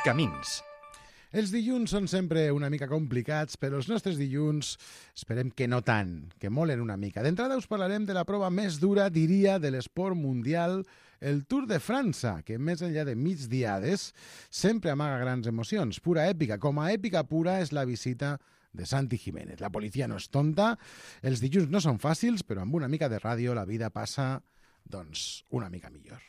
Camins. Els dilluns són sempre una mica complicats, però els nostres dilluns esperem que no tant, que molen una mica. D'entrada us parlarem de la prova més dura, diria, de l'esport mundial, el Tour de França, que més enllà de migdiades sempre amaga grans emocions, pura èpica. Com a èpica pura és la visita de Santi Jiménez. La policia no és tonta, els dilluns no són fàcils, però amb una mica de ràdio la vida passa, doncs, una mica millor.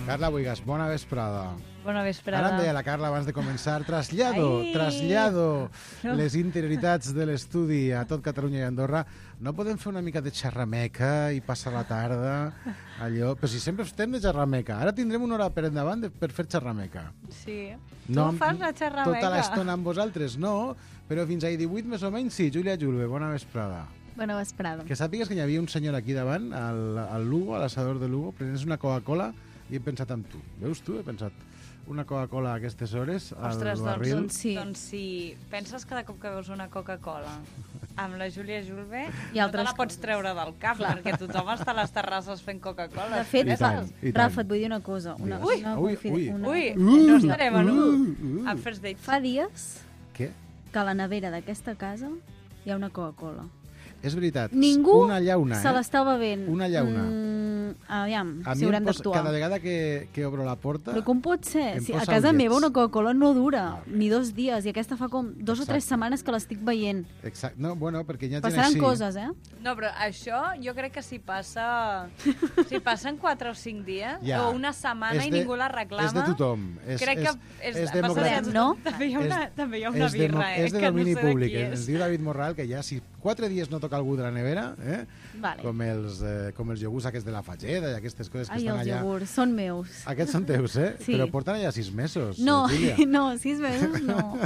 Carla Buigas, bona vesprada. Bona vesprada. Ara em deia la Carla abans de començar, trasllado les interioritats de l'estudi a tot Catalunya i Andorra. No podem fer una mica de xerrameca i passar la tarda, allò... Però si sempre estem de xerrameca. Ara tindrem una hora per endavant per fer xerrameca. Sí. No, tu fas la xerrameca? Tota l'estona amb vosaltres, no. Però fins a 18 més o menys sí. Júlia Julve, bona vesprada. Bona vesprada. Que sàpigues que hi havia un senyor aquí davant, al Lugo, a l'assador de Lugo, prenent una Coca-Cola i he pensat en tu. Veus tu? He pensat una Coca-Cola a aquestes hores al barril. Doncs sí. Penses cada cop que veus una Coca-Cola amb la Júlia Julve I no te altres la pots coses. treure del cap, perquè tothom està a les terrasses fent Coca-Cola. De fet, I tant. Rafa, et vull dir una cosa. Ui, No estarem en a First Date. Fa dies Què? que a la nevera d'aquesta casa hi ha una Coca-Cola. És veritat. Ningú una llauna, se l'està bevent. Una llauna. Aviam, A si mi haurem d'actuar. cada vegada que obro la porta... Però com pot ser? em Si posa a casa ullets. meva una Coca-Cola no dura Ah, ni 2 dies, i aquesta fa com 2 o 3 setmanes que l'estic veient. Exacte. No, bueno, perquè hi ha gent Passaran així. coses, eh? No, però això jo crec que si passen 4 o 5 dies Ja. o una setmana És i de- ningú la reclama... És de tothom. Crec que és passa democràtic. de No? També hi ha una, És- també hi ha una birra, És de que no domini sé de públic. qui Ens és. diu David Morral que ja si 4 dies no toca algú de la nevera, Vale. com els iogurts aquests de la Fageda i aquestes coses que Ai, estan els allà. iogurts, són meus. Aquests són teus, Sí. Però porten allà 6 mesos. No, Júlia. no, 6 mesos no.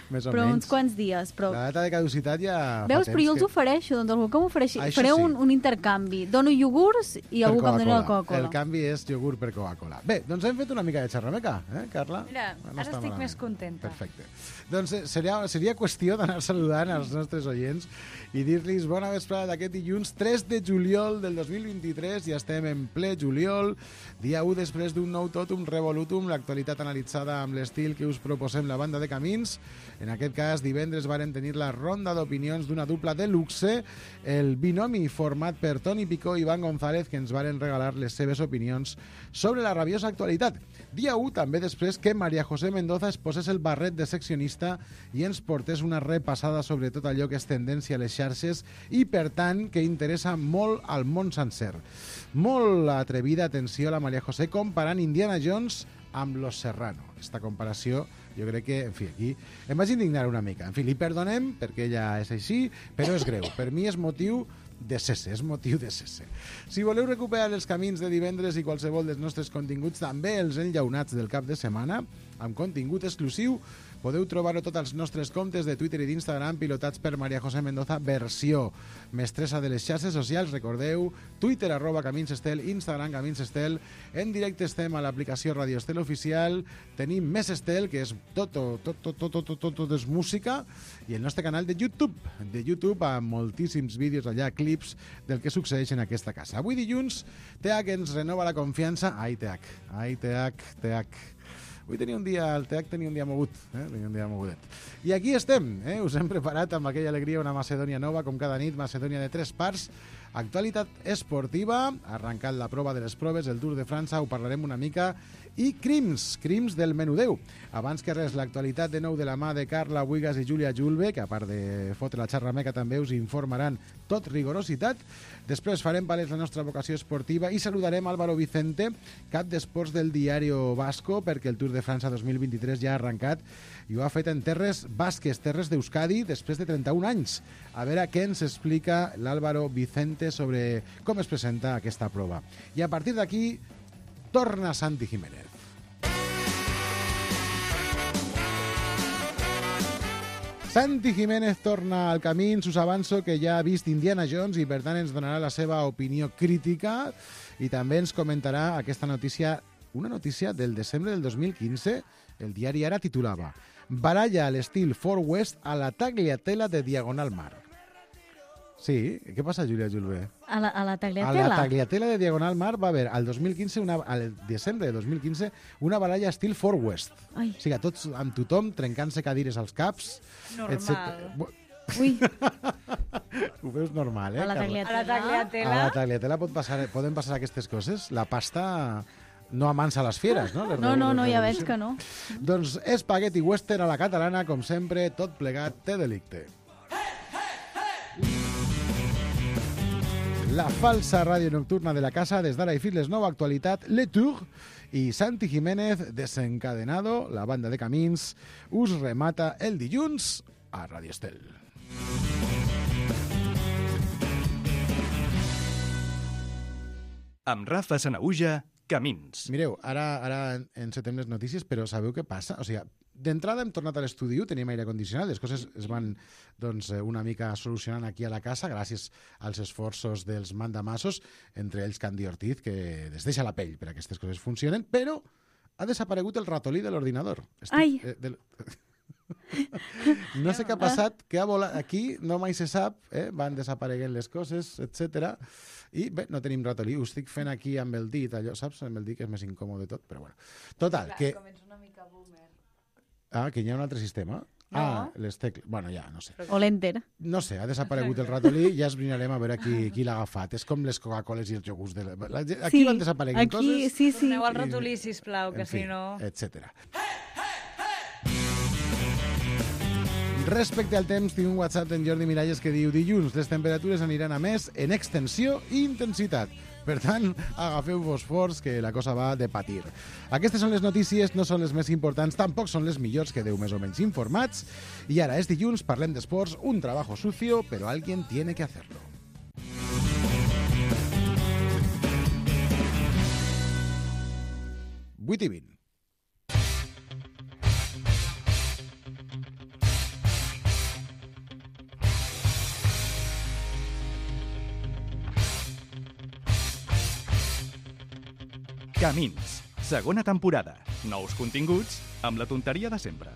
Més o Però menys. uns quants dies. Però... La data de caducitat ja Veus, fa però jo temps els ofereixo, doncs algú que m'ofereixi. Això Faré sí. un intercanvi. Dono iogurts i per algú que em doni la El Coca-Cola. canvi és iogurt per Coca-Cola. Bé, doncs hem fet una mica de xerrameca, Carla? Mira, No ara està estic malament. més contenta. Perfecte. Doncs seria qüestió d'anar saludant als nostres oients i dir-los bona vesprada d'aquest dilluns 3 de juliol del 2023. Ja estem en ple juliol, dia 1 després d'un nou totum revolutum, l'actualitat analitzada amb l'estil que us proposem la banda de Camins. En aquest cas, divendres varen tenir la ronda d'opinions d'una dupla de luxe, el binomi format per Toni Picó i Iván González, que ens varen regalar les seves opinions sobre la rabiosa actualitat. Dia 1, també després que María José Mendoza es posés el barret de seccionista i ens portés una repassada sobre tot allò que és tendència a les xarxes i, per tant, que interessa molt al món sencer. Molt atrevida, atenció, la María José comparant Indiana Jones amb Los Serrano. Esta comparació, jo crec que, en fi, aquí em vaig indignar una mica. En fi, li perdonem, perquè ella és així, però és greu. Per mi és motiu de cesse, és motiu de cesse. Si voleu recuperar els camins de divendres i qualsevol dels nostres continguts, també els enllaunats del cap de setmana, amb contingut exclusiu, podeu trobar-ho tots als nostres comptes de Twitter i d'Instagram pilotats per María José Mendoza, versió mestressa de les xarxes socials. Recordeu, Twitter @CaminsEstel, Instagram CaminsEstel. En directe estem a l'aplicació Radio Estel Oficial. Tenim més Estel, que és tot és música, i el nostre canal de YouTube amb moltíssims vídeos allà, clips del que succeeix en aquesta casa. Avui dilluns, TH ens renova la confiança. Ai, TH. Avui tenia un dia, el TH tenia un dia mogut, tenia un dia mogudet. I aquí estem, us hem preparat amb aquella alegria una Macedònia nova, com cada nit, Macedònia de 3 parts, actualitat esportiva, arrencat la prova de les proves, el Tour de França, ho parlarem una mica, i crims del menudeu. Abans que res, l'actualitat de nou de la mà de Carla Buigas i Júlia Julve, que a part de fotre la xerrameca també us informaran tot rigorositat. Després farem palès la nostra vocació esportiva i saludarem Álvaro Vicente, cap d'esports del Diario Vasco, perquè el Tour de França 2023 ja ha arrencat i ho ha fet en terres basques, terres d'Euskadi, després de 31 anys. A veure què ens explica l'Álvaro Vicente sobre com es presenta aquesta prova. I a partir d'aquí torna Santi Jiménez. Santi Jiménez torna al camí, us avanço que ja ha vist Indiana Jones i per tant ens donarà la seva opinió crítica i també ens comentarà aquesta notícia, una notícia del desembre del 2015. El diari Ara titulava Baralla a l'estil Far West a la tagliatella de Diagonal Mar. Sí, què passa, Júlia Julve? A la A la Tagliatella. Tagliatella de Diagonal Mar va haver al desembre de 2015 una baralla estil Far West. Ai. O sigui, tots amb tothom trencant-se cadires als caps. Normal. Ui, Ho veus normal, a la Carla? A la Tagliatella. A tagliatella. la Tagliatella poden passar aquestes coses. La pasta no amansa les fieres, no? No, ja veig que no. Doncs espagueti western a la catalana, com sempre, tot plegat té delicte. La falsa ràdio nocturna de la casa, des d'ara i fins les 9, actualitat, Le Tour i Santi Jiménez, Desencadenado, la banda de Camins, us remata el dilluns a Radio Estel. Amb Rafa Sanaüja, Camins. Mireu, ara encetem les notícies, però sabeu què passa? O sigui, d'entrada hem tornat a l'estudi, tenim aire condicionat, les coses es van una mica solucionant aquí a la casa gràcies als esforços dels mandamassos, entre ells Candy Ortiz, que es deixa la pell per a aquestes coses funcionen, però ha desaparegut el ratolí de l'ordinador. Ai. No sé què ha passat, que ha volat aquí, no mai se sap, van desapareguent les coses, etc. I bé, no tenim ratolí, ho estic fent aquí amb el dit, allò, saps? Amb el dit que és més incòmode tot, però bueno. Total, que... Com ets una mica boomer. Ah, que hi ha un altre sistema? No. Ah, les tecles... Bueno, ja, no sé. O l'Enter. No sé, ha desaparegut el ratolí, ja esbrinarem a veure qui l'ha agafat. És com les Coca-Coles i els iogurts. Aquí van desapareguent coses. Sí. Torneu al ratolí, sisplau, que En fi, si no... etcètera. Respecte al temps, tinc un WhatsApp d'en Jordi Miralles que diu: dilluns les temperatures aniran a més en extensió i intensitat. Per tant, agafeu-vos forts, que la cosa va de patir. Aquestes són les notícies, no són les més importants, tampoc són les millors, quedeu més o menys informats. I ara és dilluns, parlem d'esports, un trabajo sucio, però alguien tiene que hacerlo. Vuit i 20. Camins, segona temporada. Nous continguts amb la tonteria de sempre.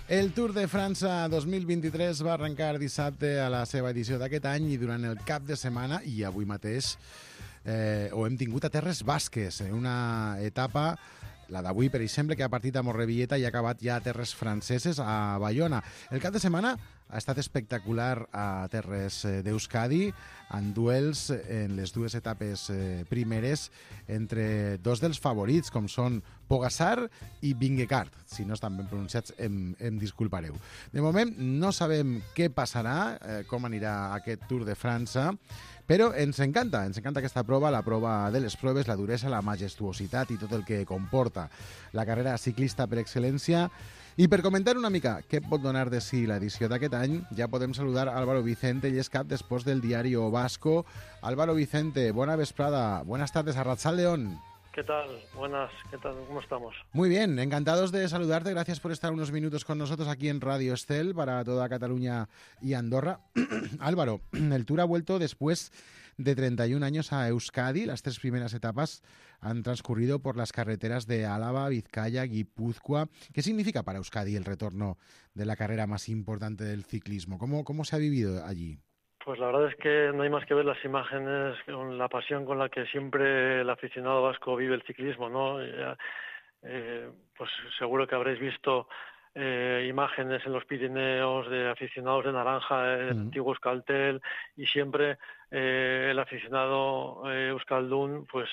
El Tour de França 2023 va arrencar dissabte a la seva edició d'aquest any i durant el cap de setmana, i avui mateix, ho hem tingut a Terres Basques, una etapa, la d'avui, per exemple, que ha partit a Morrevilleta i ha acabat ja a Terres Franceses, a Bayona. El cap de setmana ha estat espectacular a Terres d'Euskadi, en duels en les dues etapes primeres entre dos dels favorits, com són Pogačar i Vingegaard. Si no estan ben pronunciats, em disculpareu. De moment no sabem què passarà, com anirà aquest Tour de França, però ens encanta aquesta prova, la prova de les proves, la duresa, la majestuositat i tot el que comporta la carrera ciclista per excel·lència. I per comentar una mica què pot donar de si l'edició d'aquest any, ja podem saludar Álvaro Vicente, ell és cap d'esports del Diario Vasco. Álvaro Vicente, buena vesprada, buenas tardes, Arratsaldeon. ¿Qué tal? Buenas, ¿qué tal? ¿Cómo estamos? Muy bien, encantados de saludarte, gracias por estar unos minutos con nosotros aquí en Radio Estel para toda Cataluña y Andorra. Álvaro, el Tour ha vuelto después de 31 años a Euskadi. Las tres primeras etapas han transcurrido por las carreteras de Álava, Vizcaya, Guipúzcoa. ¿Qué significa para Euskadi el retorno de la carrera más importante del ciclismo? ¿Cómo se ha vivido allí? Pues la verdad es que no hay más que ver las imágenes con la pasión con la que siempre el aficionado vasco vive el ciclismo, ¿no? Pues seguro que habréis visto imágenes en los Pirineos de aficionados de naranja, el antiguo Euskaltel, y siempre el aficionado euskaldun, pues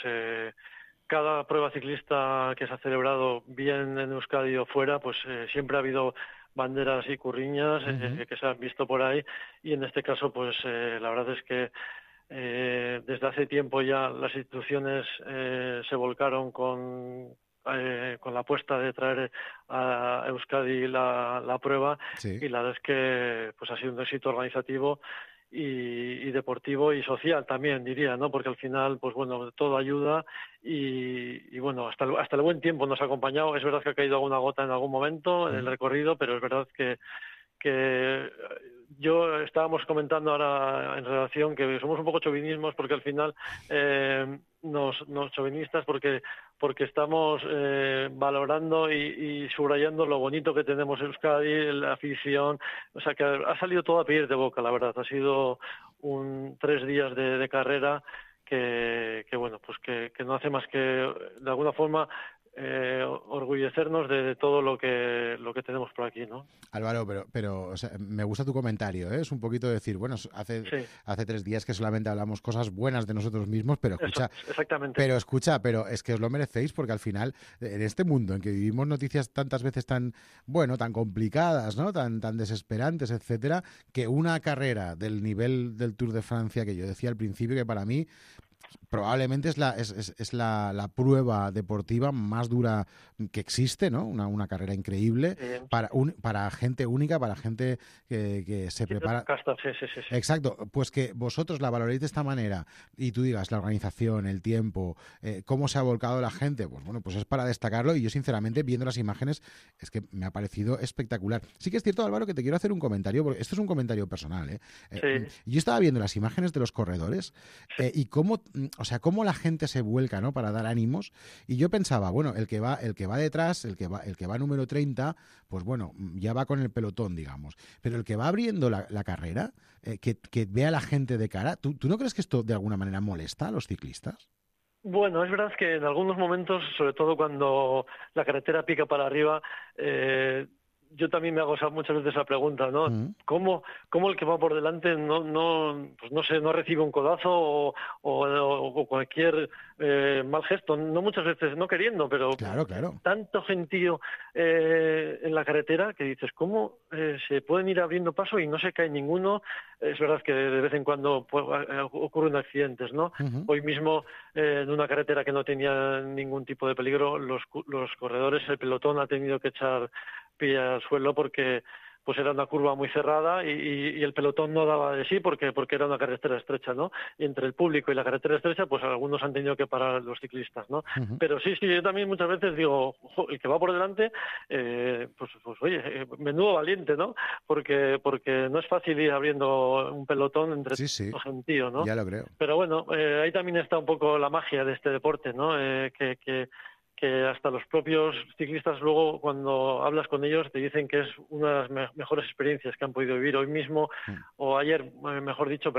cada prueba ciclista que se ha celebrado bien en Euskadi o fuera, pues siempre ha habido banderas y curriñas que se han visto por ahí, y en este caso pues la verdad es que desde hace tiempo ya las instituciones se volcaron con la apuesta de traer a Euskadi la prueba, sí. Y la verdad es que pues ha sido un éxito organizativo y deportivo y social también, diría, ¿no? Porque al final, pues bueno, todo ayuda y bueno, hasta el buen tiempo nos ha acompañado. Es verdad que ha caído alguna gota en algún momento en el recorrido, pero es verdad que que yo estábamos comentando ahora en relación que somos un poco chauvinismos porque al final nos chauvinistas porque estamos valorando y subrayando lo bonito que tenemos en Euskadi, la afición, o sea que ha salido todo a pedir de boca, la verdad, ha sido 3 días de carrera que bueno, pues que no hace más que de alguna forma orgullecernos de todo lo que tenemos por aquí, ¿no? Álvaro, pero o sea, me gusta tu comentario, ¿eh? Es un poquito decir, bueno, hace 3 días que solamente hablamos cosas buenas de nosotros mismos, pero escucha, exactamente. Pero es que os lo merecéis porque al final, en este mundo en que vivimos noticias tantas veces tan complicadas, ¿no? Tan desesperantes, etcétera, que una carrera del nivel del Tour de Francia, que yo decía al principio que para mí probablemente es la prueba deportiva más dura que existe, ¿no? Una carrera increíble para gente única, para gente que se prepara. Sí. Exacto, pues que vosotros la valoréis de esta manera y tú digas la organización, el tiempo, cómo se ha volcado la gente, pues bueno, pues es para destacarlo y yo sinceramente viendo las imágenes es que me ha parecido espectacular. Sí que es cierto, Álvaro, que te quiero hacer un comentario, porque esto es un comentario personal, ¿eh? Yo estaba viendo las imágenes de los corredores y cómo la gente se vuelca, ¿no? Para dar ánimos. Y yo pensaba, bueno, el que va detrás, el que va número 30, pues bueno, ya va con el pelotón, digamos. Pero el que va abriendo la carrera, que ve a la gente de cara, ¿tú no crees que esto de alguna manera molesta a los ciclistas? Bueno, es verdad que en algunos momentos, sobre todo cuando la carretera pica para arriba, yo también me hago muchas veces la pregunta, ¿no? ¿Cómo el que va por delante no recibe un codazo o cualquier mal gesto? No muchas veces, no queriendo, pero claro. Tanto gentío en la carretera que dices, ¿cómo se pueden ir abriendo paso y no se cae ninguno? Es verdad que de vez en cuando ocurren accidentes, ¿no? Hoy mismo, en una carretera que no tenía ningún tipo de peligro, los corredores, el pelotón ha tenido que echar pie al suelo porque pues era una curva muy cerrada y el pelotón no daba de sí porque era una carretera estrecha, ¿no? Y entre el público y la carretera estrecha, pues algunos han tenido que parar los ciclistas, ¿no? Pero sí, yo también muchas veces digo, el que va por delante, pues oye, menudo valiente, ¿no? Porque no es fácil ir abriendo un pelotón entre los gentíos, ¿no? Ya lo creo. Pero bueno, ahí también está un poco la magia de este deporte, ¿no? Que hasta los propios ciclistas luego cuando hablas con ellos te dicen que es una de las mejores experiencias que han podido vivir hoy mismo o ayer, mejor dicho,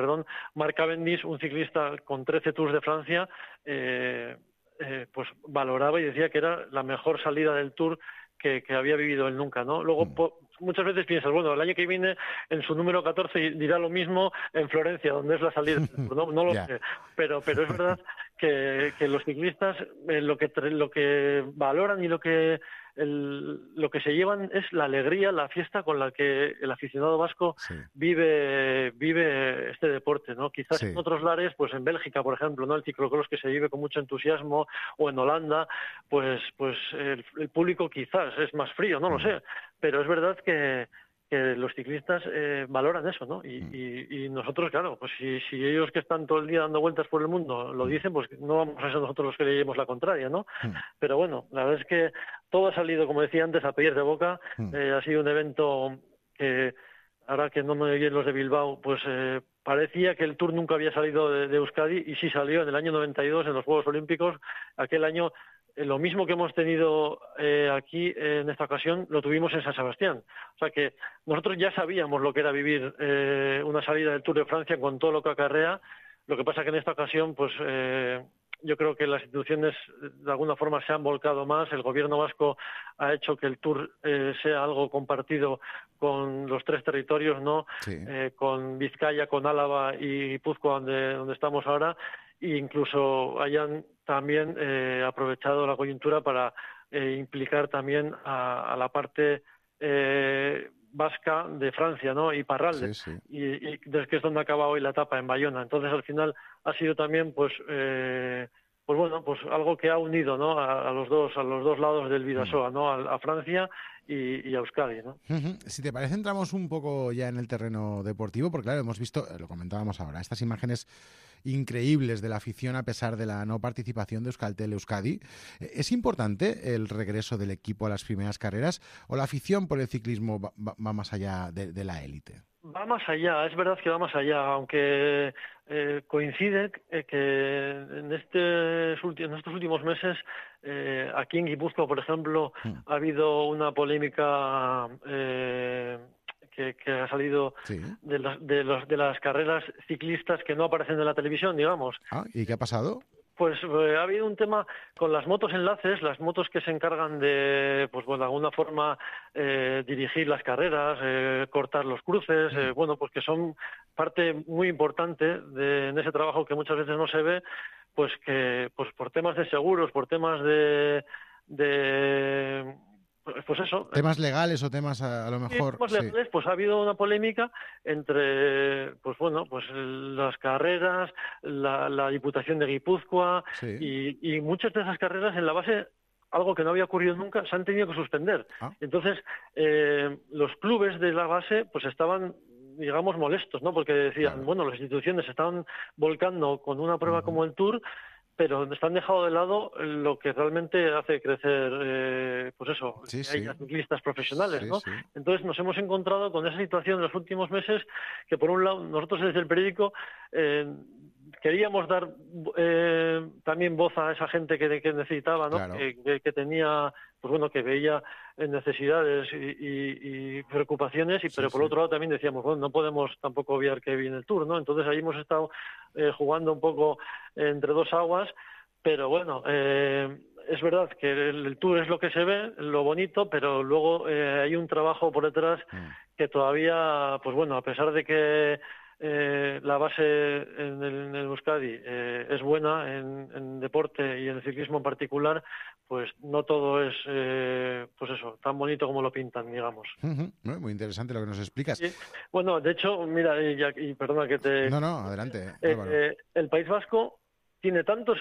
Mark Cavendish, un ciclista con 13 Tours de Francia, pues valoraba y decía que era la mejor salida del Tour que había vivido él nunca, ¿no? Luego muchas veces piensas, bueno, el año que viene en su número 14 dirá lo mismo en Florencia, donde es la salida del Tour, no lo sé, pero es verdad que los ciclistas lo que valoran y lo que se llevan es la alegría, la fiesta con la que el aficionado vasco vive este deporte, ¿no? Quizás en otros lares, pues en Bélgica, por ejemplo, ¿no? El ciclocross que se vive con mucho entusiasmo, o en Holanda, pues el público quizás es más frío, no lo sé, pero es verdad que los ciclistas valoran eso, ¿no? Y nosotros, claro, pues si ellos que están todo el día dando vueltas por el mundo lo dicen, pues no vamos a ser nosotros los que le llevemos la contraria, ¿no? Pero bueno, la verdad es que todo ha salido, como decía antes, a pedir de boca. Ha sido un evento que, ahora que no me oyen los de Bilbao, pues parecía que el Tour nunca había salido de Euskadi, y sí salió en el año 92 en los Juegos Olímpicos. Aquel año lo mismo que hemos tenido aquí en esta ocasión lo tuvimos en San Sebastián. O sea que nosotros ya sabíamos lo que era vivir una salida del Tour de Francia con todo lo que acarrea. Lo que pasa que en esta ocasión, pues yo creo que las instituciones de alguna forma se han volcado más. El gobierno vasco ha hecho que el Tour sea algo compartido con los 3 territorios, ¿no? Con Vizcaya, con Álava y Guipúzcoa, donde estamos ahora, e incluso hayan también aprovechado la coyuntura para implicar también a la parte vasca de Francia, ¿no? Y Parralde, y desde que es donde acaba hoy la etapa en Bayona. Entonces al final ha sido también pues algo que ha unido, ¿no? a los dos lados del Bidasoa, ¿no? A Francia y a Euskadi, ¿no? Si te parece, entramos un poco ya en el terreno deportivo, porque claro, hemos visto, lo comentábamos ahora, estas imágenes increíbles de la afición a pesar de la no participación de Euskaltel Euskadi. ¿Es importante el regreso del equipo a las primeras carreras o la afición por el ciclismo va más allá de la élite? Va más allá, es verdad que va más allá, aunque coincide que en estos últimos meses aquí en Guipúzcoa, por ejemplo, ha habido una polémica que ha salido de las carreras ciclistas que no aparecen en la televisión, digamos. ¿Y qué ha pasado? Pues ha habido un tema con las motos enlaces, las motos que se encargan de, pues bueno, de alguna forma dirigir las carreras, cortar los cruces, bueno, pues que son parte muy importante en ese trabajo que muchas veces no se ve, pues que pues por temas de seguros, por temas de pues eso. ¿Temas legales o temas a lo mejor? Temas legales, pues ha habido una polémica entre, pues bueno, pues las carreras, la Diputación de Guipúzcoa y muchas de esas carreras en la base, algo que no había ocurrido nunca, se han tenido que suspender. Entonces, los clubes de la base pues estaban, digamos, molestos, ¿no? Porque decían, bueno, las instituciones se estaban volcando con una prueba como el Tour, pero están dejado de lado lo que realmente hace crecer, pues eso, que haya ciclistas profesionales, ¿no? Entonces nos hemos encontrado con esa situación en los últimos meses que, por un lado, nosotros desde el periódico queríamos dar también voz a esa gente que necesitaba, ¿no? Claro. Que tenía, pues bueno, que veía necesidades y preocupaciones, pero por otro lado también decíamos, bueno, no podemos tampoco obviar que viene el Tour, ¿no? Entonces ahí hemos estado jugando un poco entre dos aguas, pero bueno, es verdad que el Tour es lo que se ve, lo bonito, pero luego hay un trabajo por detrás que todavía, pues bueno, a pesar de que la base en el Euskadi es buena en deporte y en el ciclismo en particular, pues no todo es pues eso, tan bonito como lo pintan, digamos. Muy interesante lo que nos explicas. Sí. Bueno, de hecho, mira, y perdona que te... No, adelante. El País Vasco tiene tantos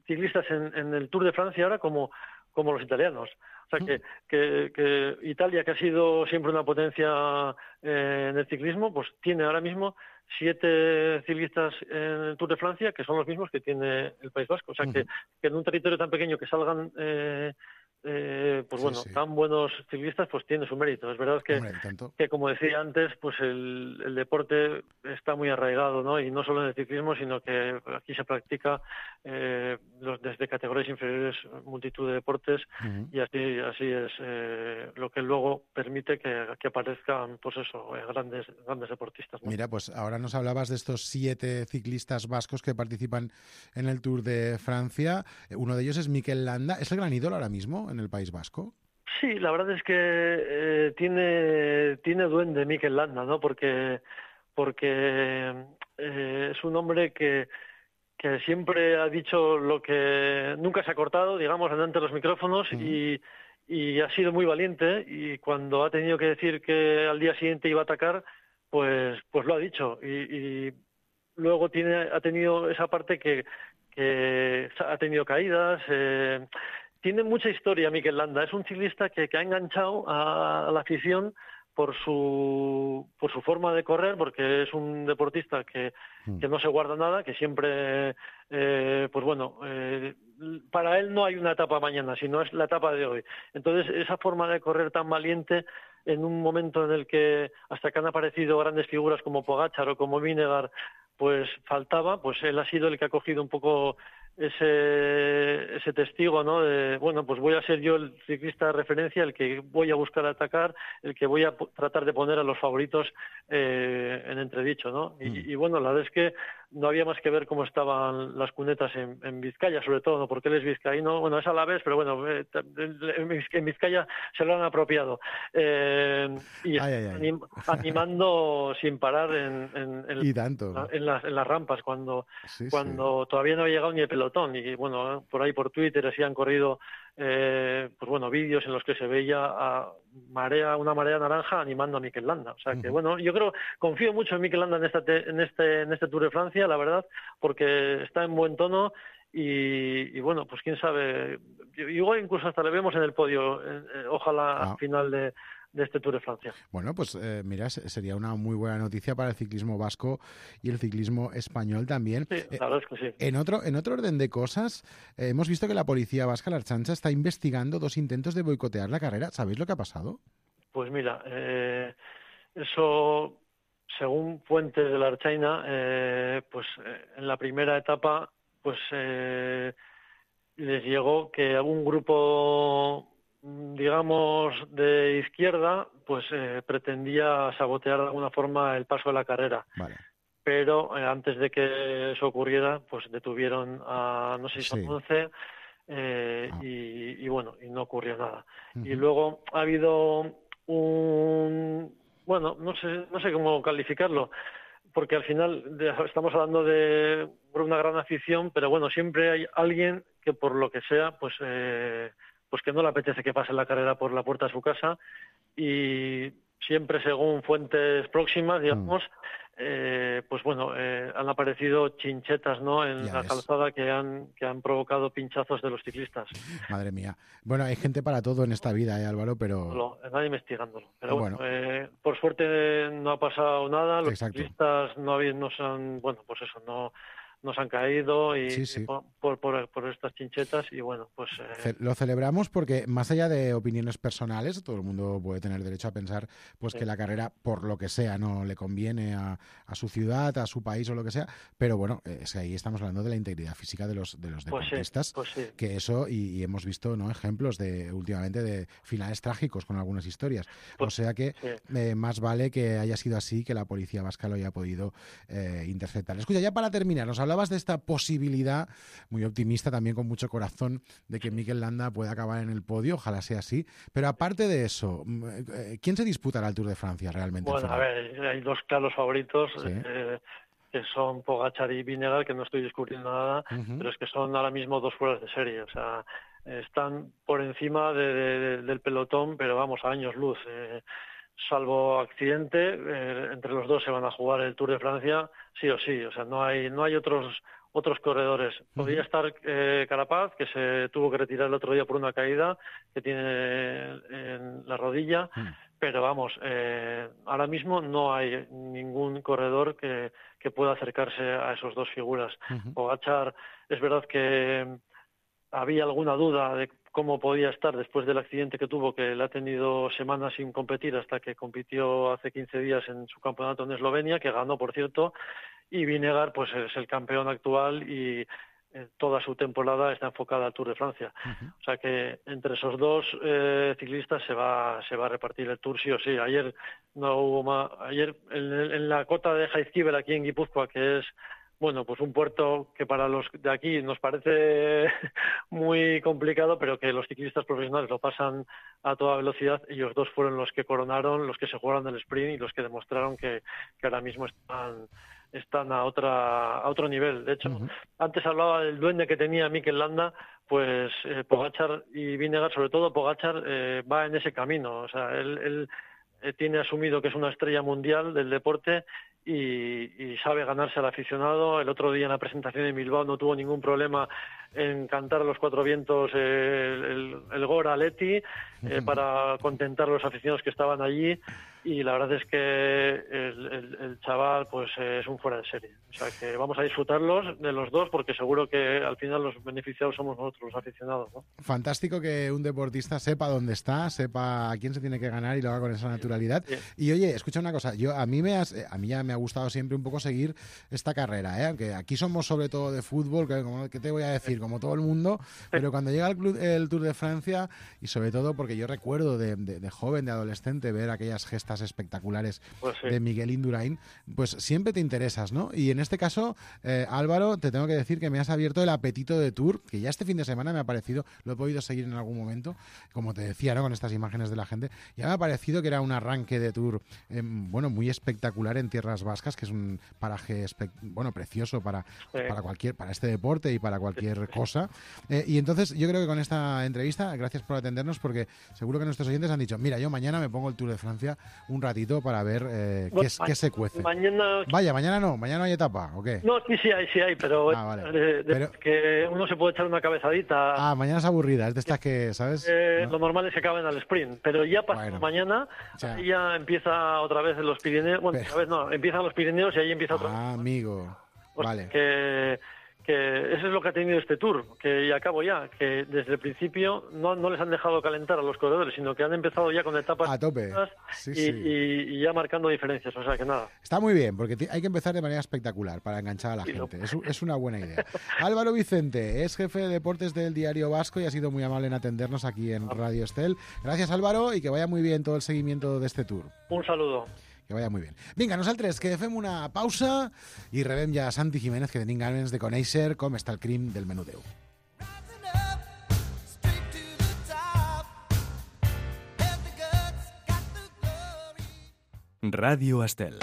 ciclistas en el Tour de Francia ahora como los italianos. O sea, que Italia, que ha sido siempre una potencia en el ciclismo, pues tiene ahora mismo 7 ciclistas en el Tour de Francia, que son los mismos que tiene el País Vasco. O sea, que en un territorio tan pequeño que salgan pues bueno, tan buenos ciclistas, pues tiene su mérito. Es verdad que como decía antes, pues el deporte está muy arraigado, ¿no? Y no solo en el ciclismo, sino que aquí se practica desde categorías inferiores multitud de deportes y así es lo que luego permite que aparezcan, pues eso, grandes deportistas, ¿no? Mira, pues ahora nos hablabas de estos 7 ciclistas vascos que participan en el Tour de Francia. Uno de ellos es Mikel Landa. ¿Es el gran ídolo ahora mismo en el País Vasco? Sí, la verdad es que tiene duende Mikel Landa, ¿no? Porque es un hombre que siempre ha dicho lo que nunca se ha cortado, digamos, ante los micrófonos y ha sido muy valiente, y cuando ha tenido que decir que al día siguiente iba a atacar, pues lo ha dicho, y luego ha tenido esa parte que ha tenido caídas. Tiene mucha historia Mikel Landa. Es un ciclista que ha enganchado a la afición por su forma de correr, porque es un deportista que no se guarda nada, que siempre, pues bueno, para él no hay una etapa mañana, sino es la etapa de hoy. Entonces, esa forma de correr tan valiente, en un momento en el que hasta que han aparecido grandes figuras como Pogačar o como Vinegar, pues faltaba, pues él ha sido el que ha cogido un poco ese testigo, ¿no? De, bueno, pues voy a ser yo el ciclista de referencia, el que voy a buscar atacar, el que voy a tratar de poner a los favoritos en entredicho, ¿no? Y bueno, la verdad es que no había más que ver cómo estaban las cunetas en Vizcaya, sobre todo, ¿no? Porque él es vizcaíno, bueno, es alavés, pero bueno, en Vizcaya se lo han apropiado. Y animando sin parar en las rampas, cuando todavía no había llegado ni el pelotón. Y bueno, por ahí por Twitter así han corrido pues bueno, vídeos en los que se veía una marea naranja animando a Mikel Landa. O sea que bueno, yo confío mucho en Mikel Landa en este Tour de Francia, la verdad, porque está en buen tono y bueno, pues quién sabe, igual incluso hasta le vemos en el podio, ojalá al final de este Tour de Francia. Bueno, pues mira, sería una muy buena noticia para el ciclismo vasco y el ciclismo español también. Sí, la verdad es que sí. En otro orden de cosas, hemos visto que la policía vasca, la Ertzaintza, está investigando 2 intentos de boicotear la carrera. ¿Sabéis lo que ha pasado? Pues mira, eso, según fuentes de la Ertzaina, en la primera etapa, pues les llegó que algún grupo, digamos, de izquierda, pues pretendía sabotear de alguna forma el paso de la carrera. Vale. Pero antes de que eso ocurriera, pues detuvieron a, no sé si son 11, y bueno, y no ocurrió nada. Y luego ha habido bueno, no sé cómo calificarlo, porque al final estamos hablando de una gran afición, pero bueno, siempre hay alguien que por lo que sea, pues que no le apetece que pase la carrera por la puerta de su casa, y siempre según fuentes próximas, digamos, pues bueno, han aparecido chinchetas, ¿no?, en la calzada que han provocado pinchazos de los ciclistas. Madre mía. Bueno, hay gente para todo en esta vida, Álvaro, pero... Nadie investigándolo. Pero bueno, por suerte no ha pasado nada, los ciclistas no se han, bueno, pues eso, no se han caído y por estas chinchetas, y bueno, pues... Lo celebramos porque más allá de opiniones personales, todo el mundo puede tener derecho a pensar pues que la carrera, por lo que sea, no le conviene a su ciudad, a su país o lo que sea, pero bueno, es que ahí estamos hablando de la integridad física de los deportistas, que eso, y hemos visto, ¿no?, ejemplos últimamente de finales trágicos con algunas historias, o sea que más vale que haya sido así, que la policía vasca lo haya podido interceptar. Escucha, ya para terminar, nos hablabas de esta posibilidad, muy optimista también, con mucho corazón, de que Mikel Landa pueda acabar en el podio, ojalá sea así, pero aparte de eso, ¿quién se disputará el Tour de Francia realmente? Bueno, a ver, hay 2 claros favoritos, que son Pogačar y Vingegaard, que no estoy discutiendo nada, pero es que son ahora mismo 2 fueras de serie, o sea, están por encima del pelotón, pero vamos, a años luz. Salvo accidente, entre los 2 se van a jugar el Tour de Francia, sí o sí. O sea, no hay otros corredores. Podría estar Carapaz, que se tuvo que retirar el otro día por una caída que tiene en la rodilla, pero vamos, ahora mismo no hay ningún corredor que pueda acercarse a esos 2 figuras. Pogačar, es verdad que había alguna duda de cómo podía estar después del accidente que tuvo, que le ha tenido semanas sin competir hasta que compitió hace 15 días en su campeonato en Eslovenia, que ganó, por cierto, y Vingegaard pues es el campeón actual y toda su temporada está enfocada al Tour de Francia. O sea que entre esos 2 ciclistas se va a repartir el Tour sí o sí. Ayer no hubo más. Ayer en la cota de Jaizkibel, aquí en Guipúzcoa, que es, bueno, pues un puerto que para los de aquí nos parece muy complicado, pero que los ciclistas profesionales lo pasan a toda velocidad. Ellos 2 fueron los que coronaron, los que se jugaron el sprint y los que demostraron que ahora mismo están a otro nivel. De hecho, antes hablaba del duende que tenía Mikel Landa, pues Pogačar y Vingegaard, sobre todo Pogačar, va en ese camino. O sea, él tiene asumido que es una estrella mundial del deporte y sabe ganarse al aficionado. El otro día en la presentación en Bilbao no tuvo ningún problema en cantar a los 4 vientos el Gora Leti para contentar a los aficionados que estaban allí, y la verdad es que el chaval pues es un fuera de serie. O sea que vamos a disfrutarlos de los 2, porque seguro que al final los beneficiados somos nosotros, los aficionados, ¿no? Fantástico que un deportista sepa dónde está, sepa a quién se tiene que ganar y lo haga con esa naturalidad. Y oye, escucha una cosa, a mí ya me ha gustado siempre un poco seguir esta carrera, aunque aquí somos sobre todo de fútbol, ¿qué te voy a decir? Como todo el mundo, pero cuando llega el Tour de Francia, y sobre todo porque yo recuerdo de joven, de adolescente, ver aquellas gestas espectaculares de Miguel Indurain, pues siempre te interesas, ¿no? Y en este caso, Álvaro, te tengo que decir que me has abierto el apetito de Tour, que ya este fin de semana me ha parecido, lo he podido seguir en algún momento, como te decía, ¿no?, con estas imágenes de la gente, ya me ha parecido que era un arranque de Tour, bueno, muy espectacular en tierras vascas, que es un paraje precioso para este deporte y para cualquier cosa. Y entonces yo creo que con esta entrevista, gracias por atendernos, porque seguro que nuestros oyentes han dicho, mira, yo mañana me pongo el Tour de Francia un ratito para ver qué se cuece. Mañana... Vaya, mañana no hay etapa, ¿o qué? No, sí hay, pero, vale. Pero que uno se puede echar una cabezadita. Mañana es aburrida, es de estas que, ¿sabes? ¿No? Lo normal es que acaben al sprint, pero ya mañana ya empieza otra vez los Pirineos. Bueno, otra vez no, empiezan los Pirineos y ahí empieza otra vez. Amigo, vale. Que eso es lo que ha tenido este Tour, que ya acabo ya, que desde el principio no les han dejado calentar a los corredores, sino que han empezado ya con etapas a tope. Y ya marcando diferencias, o sea que nada. Está muy bien, porque hay que empezar de manera espectacular para enganchar a la gente. Es una buena idea. Álvaro Vicente es jefe de deportes del Diario Vasco y ha sido muy amable en atendernos aquí en Radio Estel. Gracias, Álvaro, i que vaya muy bien todo el seguimiento de este Tour. Un saludo. Que vaya muy bien. Vinga, nosaltres que fem una pausa i rebem ja Santi Jiménez, que tenim ganes de conèixer com està el crim del menudeu. Ràdio Estel.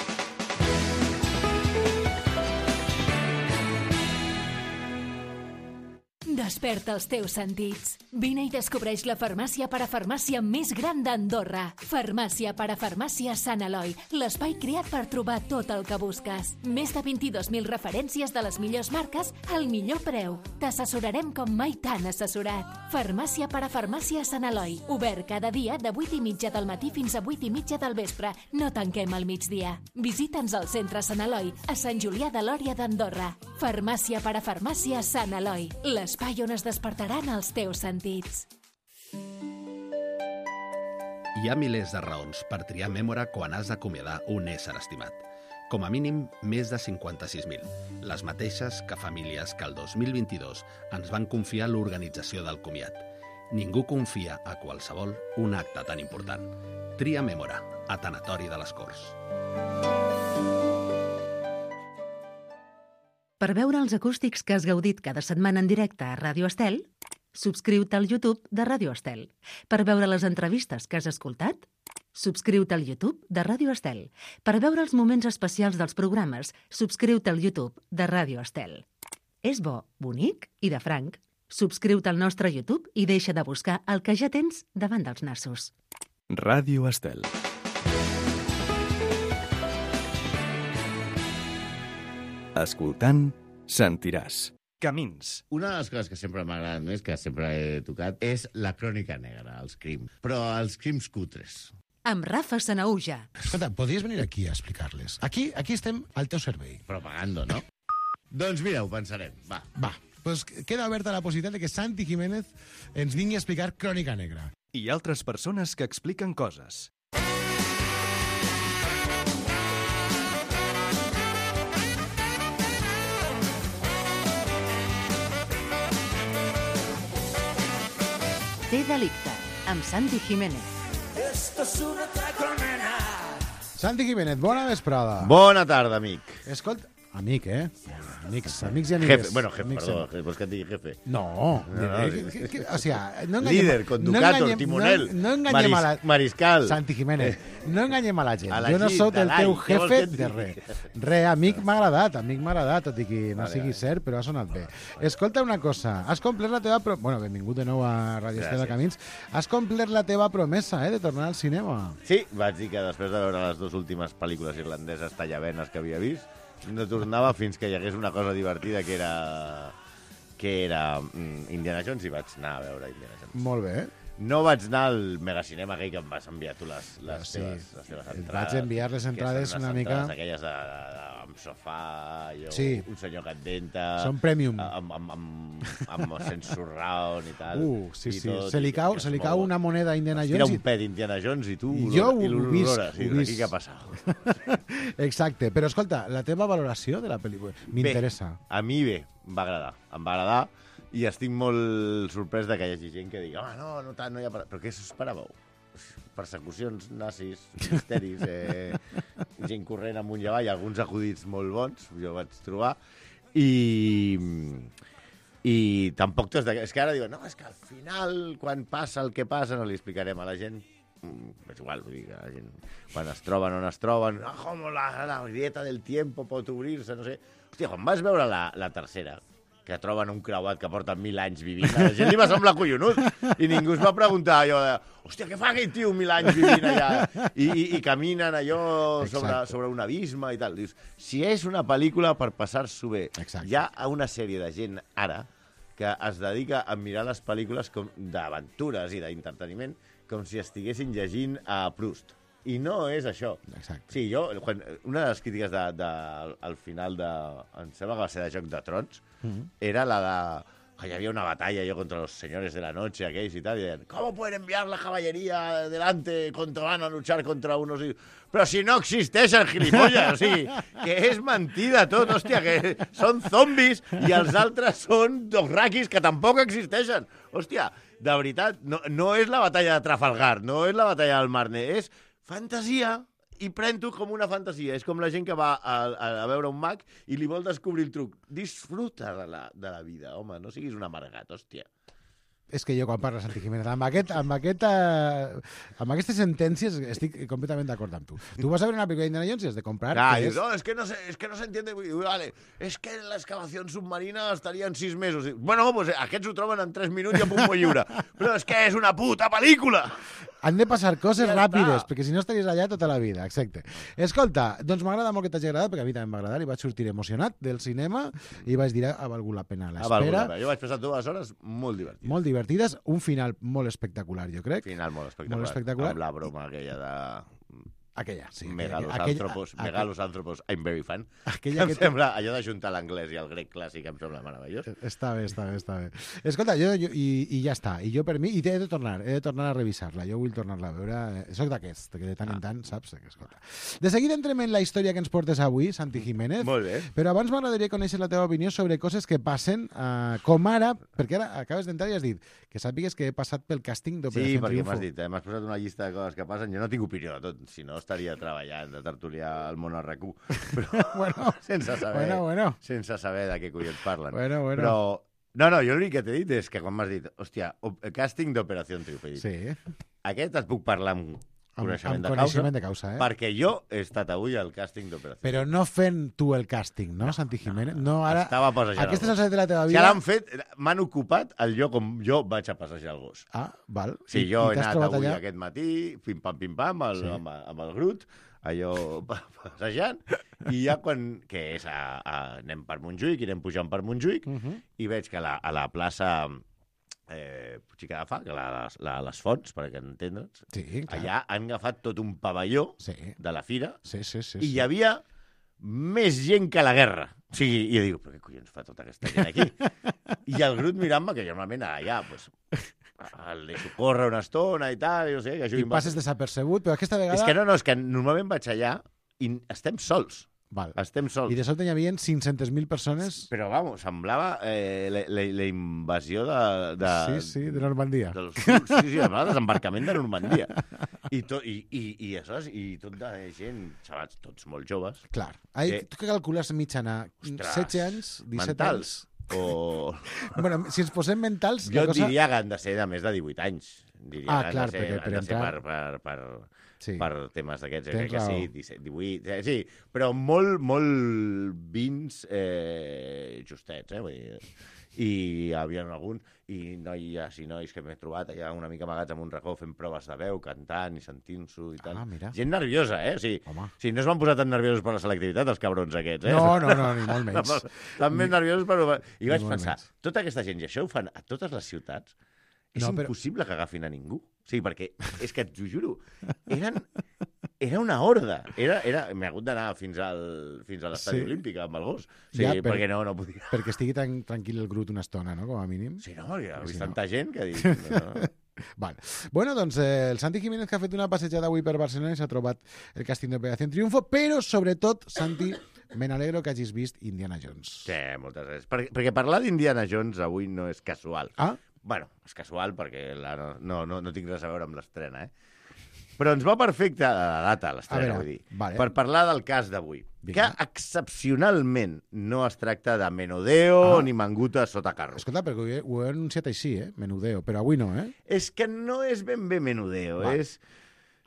Desperta els teus sentits. Vine i descobreix la farmàcia parafarmàcia més gran d'Andorra. Farmàcia parafarmàcia Sant Eloi, l'espai creat per trobar tot el que busques. Més de 22.000 referències de les millors marques al millor preu. T'assessorarem com mai t'han assessorat. Farmàcia parafarmàcia Sant Eloi, obert cada dia de 8:30 del matí fins a 8:30 del vespre. No tanquem al migdia. Visita'ns al centre Sant Eloi, a Sant Julià de Lòria d'Andorra. Farmàcia parafarmàcia Sant Eloi, l'espai on es despertaran els teus sentits. Hi ha milers de raons per triar Mémora quan has d'acomiadar un ésser estimat. Com a mínim, més de 56.000. Les mateixes que famílies que el 2022 ens van confiar l'organització del comiat. Ningú confia a qualsevol un acte tan important. Tria Mémora, a Tanatori de les Corts. Per veure els acústics que has gaudit cada setmana en directe a Ràdio Estel, subscriu-te al YouTube de Ràdio Estel. Per veure les entrevistes que has escoltat, subscriu-te al YouTube de Ràdio Estel. Per veure els moments especials dels programes, subscriu-te al YouTube de Ràdio Estel. És bo, bonic i de franc. Subscriu-te al nostre YouTube i deixa de buscar el que ja tens davant dels nassos. Ràdio Estel. Escoltant, sentiràs. Camins. Una de les coses que sempre m'agraden més, que sempre he tocat, és la crònica negra, els crims. Però els crims cutres. Amb Rafa Sanauja. Escolta, podries venir aquí a explicar-les. Aquí estem al teu servei. Propagando, no? Doncs mira, ho pensarem. Va. Pues queda oberta la possibilitat de que Santi Jiménez ens vingui a explicar crònica negra. I altres persones que expliquen coses. Té delicte, amb Santi Jiménez. Santi Jiménez, bona vesprada. Bona tarda, amic. Escolta, amic, Amics i amigues. Jefe, bueno, jefe, perdó, vols que et digui jefe? No. O sea, no enganyem... Líder, conductor, timonel, no enganyem a la... mariscal. Santi Jiménez, no enganyem a la gent. A la Jo no gent, sóc el teu què vols jefe que et de digui? res. Amic m'ha agradat, tot i que no sigui cert, però ha sonat bé. Escolta una cosa, has complert la teva... Bueno, benvingut de nou a Radio Estel de Camins. Has complert la teva promesa, de tornar al cinema. Sí, vaig dir que després de veure les dues últimes pel·lícules irlandeses tallavenes que havia vist, no tornava fins que hi hagués una cosa divertida que era Indiana Jones, i vaig anar a veure Indiana Jones. Molt bé. No vaig anar al megacinema aquell que em vas enviar tu les teves entrades. Vaig enviar les entrades una mica... Aquelles amb sofà, un senyor que et denta... Són premium. Amb surround i tal. Sí. Se li cau una moneda a Indiana Jones. Tira un pet Indiana Jones i tu l'olores. I aquí què ha passat? Exacte. Però escolta, la teva valoració de la pel·lícula m'interessa. A mi bé, em va agradar. Em va agradar. I estic molt sorprès que hi hagi gent que digui no hi ha... Però què s'esperàveu? Persecucions nazis, misteris, gent corrent amunt i avall, alguns acudits molt bons, jo vaig trobar, i tampoc tots d'aquests... És que ara diuen, és que al final, quan passa el que passa, no li explicarem a la gent. És igual, vull dir que la gent, quan es troben o no es troben, com la grieta del tiempo pot obrir-se, no sé. Hòstia, quan vas veure la tercera, que troben un creuat que porta 1.000 anys vivint. A la gent li va semblar collonut. I ningú es va preguntar allò de hòstia, què fa aquell tio 1.000 anys vivint allà? I caminen allò sobre un abisme i tal. Dius, si és una pel·lícula per passar-s'ho bé, hi ha una sèrie de gent ara que es dedica a mirar les pel·lícules d'aventures i d'entreteniment com si estiguessin llegint a Proust. I no és això. Exacte. Sí, una de les crítiques al final em sembla que va ser de Joc de Trons, era la de que hi havia una batalla contra los señores de la noche, aquells i tal, i deien, ¿cómo pueden enviar la caballería delante contra van a luchar contra unos... Però si no existeixen, gilipollas, o sigui, que és mentida tot, hòstia, que són zombis i els altres són dograkis que tampoc existeixen. Hòstia, de veritat, no és la batalla de Trafalgar, no és la batalla del Marne, és fantasia, i pren-t'ho com una fantasia. És com la gent que va a veure un mag i li vol descobrir el truc. Disfruta de la vida, home, no siguis un amargat, hòstia. És que jo, quan parla Santi Jiménez, amb aquestes sentències estic completament d'acord amb tu. Tu vas a veure una pel·lícula d'Indiana Jones i has de comprar... No, es que no se entiende. Vale, es que la excavación submarina estaria en 6 mesos. Bueno, pues aquests ho troben en 3 minuts i a punt molt lliure. Però és que és una puta pel·lícula! Han de passar coses ràpides, perquè si no estaries allà tota la vida, exacte. Escolta, doncs m'agrada molt que t'hagi agradat, perquè a mi també m'ha agradat, i vaig sortir emocionat del cinema i vaig dir, ha valgut la pena l'espera. Jo vaig passar 2 hores molt divertides. Molt divertides, un final molt espectacular, jo crec. Final molt espectacular. Amb la broma aquella de... Aquella, sí. Megalosàntropos, I'm very fan. Em sembla, allò d'ajuntar l'anglès i el grec clàssic em sembla meravellós. Està bé. Escolta, i ja està. I jo per mi, i he de tornar a revisar-la. Jo vull tornar-la a veure. Soc d'aquests, que de tant en tant, saps? Escolta. De seguida entrem en la història que ens portes avui, Santi Jiménez. Molt bé. Però abans m'agradaria conèixer la teva opinió sobre coses que passen, com ara, perquè ara acabes d'entrar i has dit que sàpigues que he passat pel càsting d'Operació Triunfo. Sí, perquè m'has dit, m'has posat una llista de coses que passen. Jo no tinc opinió de tot, si no estaria treballant de tertuliar al món al RAC1, però sense saber de què collons parlen. Però no, jo l'únic que t'he dit és que quan m'has dit, hòstia, càsting d'Operació Triunfo, aquest et puc parlar amb coneixement de causa, perquè jo he estat avui al càsting d'Operació. Però no fent tu el càsting, no, Santi Jiménez? No, ara, estava passejant aquestes alçades de la teva vida... Si ara m'han ocupat el lloc on jo vaig a passejar el gos. Ah, val. Sí, jo he anat avui aquest matí, pim-pam, amb el Grut, allò passejant, i ja que és anem per Montjuïc, irem pujant per Montjuïc, i veig que a la plaça... Puigcica de Fa, que les fonts, per entendre'ns, allà han agafat tot un pavelló de la fira i hi havia més gent que a la guerra. O sigui, i jo dic, però què collons fa tota aquesta gent aquí? I el Grut mirant-me, que jo normalment allà, pues, el deixo córrer una estona i tal, i no sé... I passes desapercebut, però aquesta vegada... És que normalment vaig allà i estem sols. Estem sols. I de sobte hi havia 500.000 persones... Però, vamos, semblava la invasió de... Sí, de Normandia. Sí, semblava desembarcament de Normandia. I tot de gent, xavats, tots molt joves. Clar. Tu què calcules mitjana? 16 anys, 17 anys? Bueno, si ens posem mentals... Jo diria que han de ser de més de 18 anys. Clar, perquè per entrar... per temes d'aquests, crec que sí, 17, 18... Sí, però molt vins justets, vull dir... I hi havia algun... I nois que m'he trobat allà una mica amagats amb un racó fent proves de veu, cantant i sentint-s'ho i tal. Gent nerviosa, O sigui, no es van posar tan nerviosos per la selectivitat, els cabrons aquests, No, ni molt menys. Estan més nerviosos per... I vaig pensar, tota aquesta gent, i això ho fan a totes les ciutats, és impossible que agafin a ningú. Sí, perquè, és que t'ho juro, era una horda. M'he hagut d'anar fins a l'estadi olímpic amb el gos. Sí, perquè no podia. Perquè estigui tranquil el Grut una estona, no?, com a mínim. Sí, no, hi ha vist tanta gent que ha dit... Vale. Bueno, doncs el Santi Jiménez, que ha fet una passejada avui per Barcelona i s'ha trobat el càsting d'Operació Triunfo, però sobretot, Santi, me n'alegro que hagis vist Indiana Jones. Sí, moltes gràcies. Perquè parlar d'Indiana Jones avui no és casual. Bueno, és casual perquè no tinc res a veure amb l'estrena, Però ens va perfecte la data, l'estrena, vull dir, per parlar del cas d'avui, que excepcionalment no es tracta de menudeo ni manguta sota carro. Escolta, perquè ho he anunciat així, menudeo, però avui no, És que no és ben bé menudeo, és...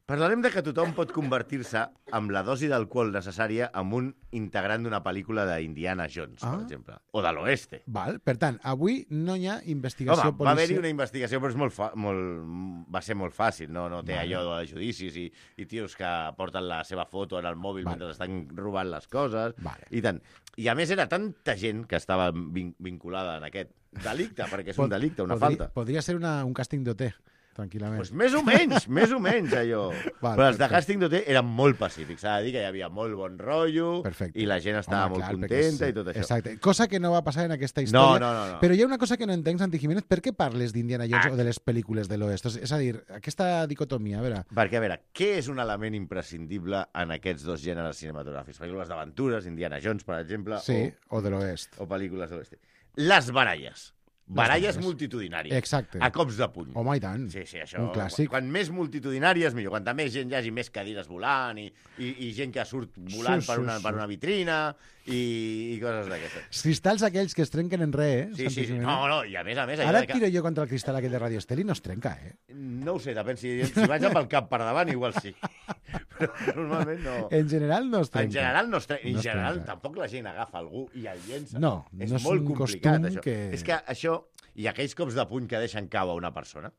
Parlarem de que tothom pot convertir-se amb la dosi d'alcohol necessària en un integrant d'una pel·lícula d'Indiana Jones, per exemple, o de l'Oeste. Val. Per tant, avui no hi ha investigació Home, va haver-hi una investigació, però va ser molt fàcil, no té allò de judicis i tios que porten la seva foto en el mòbil mentre estan robant les coses, i tant. I a més era tanta gent que estava vinculada en aquest delicte, perquè és un delicte, una falta. Podria ser un càsting d'OT, tranquil·lament. Pues més o menys, allò. Però els de Casting d'OT eren molt pacífics. S'ha de dir que hi havia molt bon rotllo i la gent estava molt contenta i tot això. Exacte. Cosa que no va passar en aquesta història. No. Però hi ha una cosa que no entenc, Santi Jiménez. Per què parles d'Indiana Jones o de les pel·lícules de l'Oest? És a dir, aquesta dicotomia, a veure... Perquè, a veure, què és un element imprescindible en aquests dos gèneres cinematogràfics? Pel·lícules d'aventures, Indiana Jones, per exemple, o de l'Oest. O pel·lícules de l'Oest. Les baralles. Baralles multitudinàries. Exacte. A cops de puny. Home, i tant. Sí, això. Un clàssic. Quan més multitudinàries, millor. Quanta més gent hi hagi, més cadires volant i gent que surt volant per una vitrina i coses d'aquestes. Cristalls aquells que es trenquen en res, Sí. No, i a més... Ara et tiro jo contra el cristal aquell de Radio Estel i no es trenca, No ho sé, depèn. Si vaig amb el cap per davant, igual sí. Però normalment no. En general no es trenca. En general no es trenca. En general tampoc la gent agafa algú i el llença. No, és no és molt un complicat, costum això. que... És que això, i aquells cops de puny que deixen cau a una persona,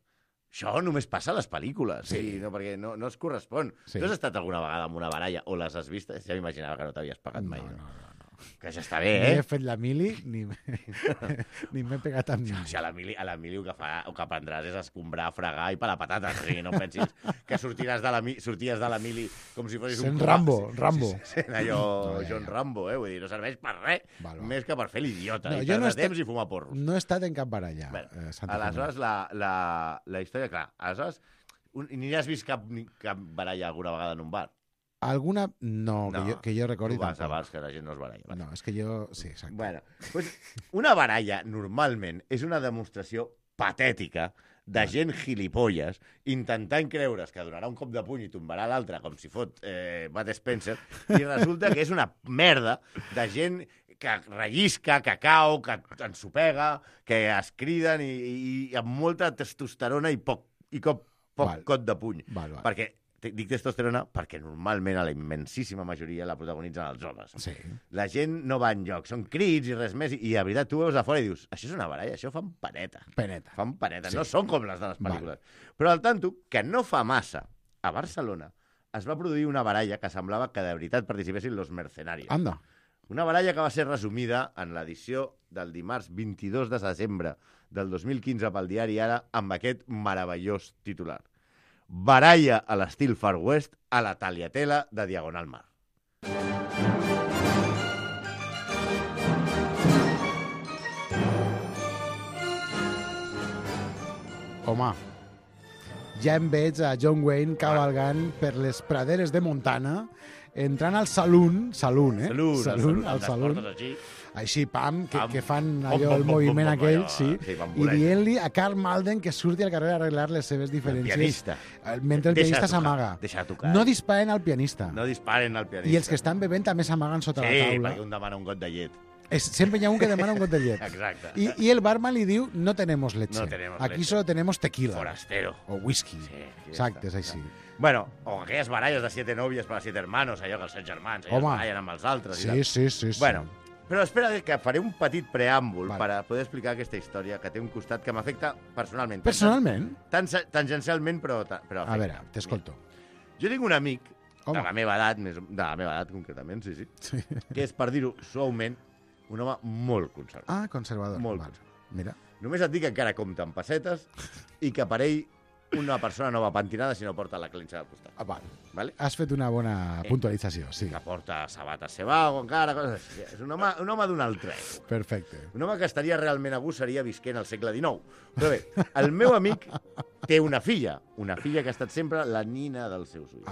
això només passa a les pel·lícules, perquè no es correspon. Tu has estat alguna vegada en una baralla o les has vist? Ja m'imaginava que no t'havies pagat mai. No. Que ja està bé, Ni he fet la mili, ni m'he pegat amb ningú. A la mili el que aprendràs és escombrar, fregar i pelar patates. O sigui, no pensis que sorties de la mili com si fossis un... Rambo. Sent allò John Rambo, vull dir, no serveix per res, més que per fer l'idiota. I perdre temps i fumar porros. No he estat en cap baralla. Aleshores, la història, clar, aleshores, ni has vist cap baralla alguna vegada en un bar? Alguna... No, que jo recordi tampoc. Tu vas a bars que la gent no es baralla. No, és que jo... Sí, exacte. Bueno, pues, una baralla, normalment, és una demostració patètica de gent gilipolles intentant creure's que donarà un cop de puny i tombarà l'altre com si fot Bud Spencer i resulta que és una merda de gent que rellisca, que cau, que ensopega, que es criden i amb molta testosterona i poc cot de puny. Perquè dic testosterona perquè normalment a la immensíssima majoria la protagonitzen els homes. Sí. La gent no va enlloc, són crits i res més, i a veritat tu veus a fora i dius, això és una baralla, això fan paneta. Fan paneta, no són com les de les pel·lícules. Però al tanto, que no fa massa, a Barcelona, es va produir una baralla que semblava que de veritat participessin los mercenarios. Anda. Una baralla que va ser resumida en l'edició del dimarts 22 de desembre del 2015 pel diari Ara amb aquest meravellós titular. Baralla a l'estil Far West a la Tagliatella de Diagonal Mar. Home, ja em veig a John Wayne cavalgant per les praderes de Montana, entrant al saloon, al saloon, així, pam, que fan allò, el moviment aquell, i dient-li a Karl Malden que surti al carrer a arreglar les seves diferències. Mentre el pianista s'amaga. No disparen al pianista. No disparen al pianista. I els que estan bevent també s'amaguen sota la taula. Sí, perquè un demana un got de llet. Sempre hi ha un que demana un got de llet. Exacte. I el barman li diu, no tenemos leche. Aquí solo tenemos tequila. Forastero. O whisky. Exacte, és així. Bueno, o aquelles baralles de 7 nòvies per a 7 hermanos, allò que els 7 germans, allò es barallen amb els altres. Sí. Bueno, però espera que faré un petit preàmbul per a poder explicar aquesta història que té un costat que m'afecta personalment. Personalment? Tangencialment, però afecta. A veure, t'escolto. Jo tinc un amic de la meva edat concretament, sí, que és, per dir-ho suaument, un home molt conservador. Ah, conservador. Molt conservador. Mira. Només et dic que encara compta amb pessetes i que per ell una persona no va pentinada si no porta la clenxa al costat. Vale? Has fet una bona puntualització, sí. Que porta sabates Sebago encara, coses així. És un home d'un altre època. Perfecte. Un home que estaria realment a gust seria visquent al segle XIX. Però bé, el meu amic té una filla que ha estat sempre la nina dels seus ulls.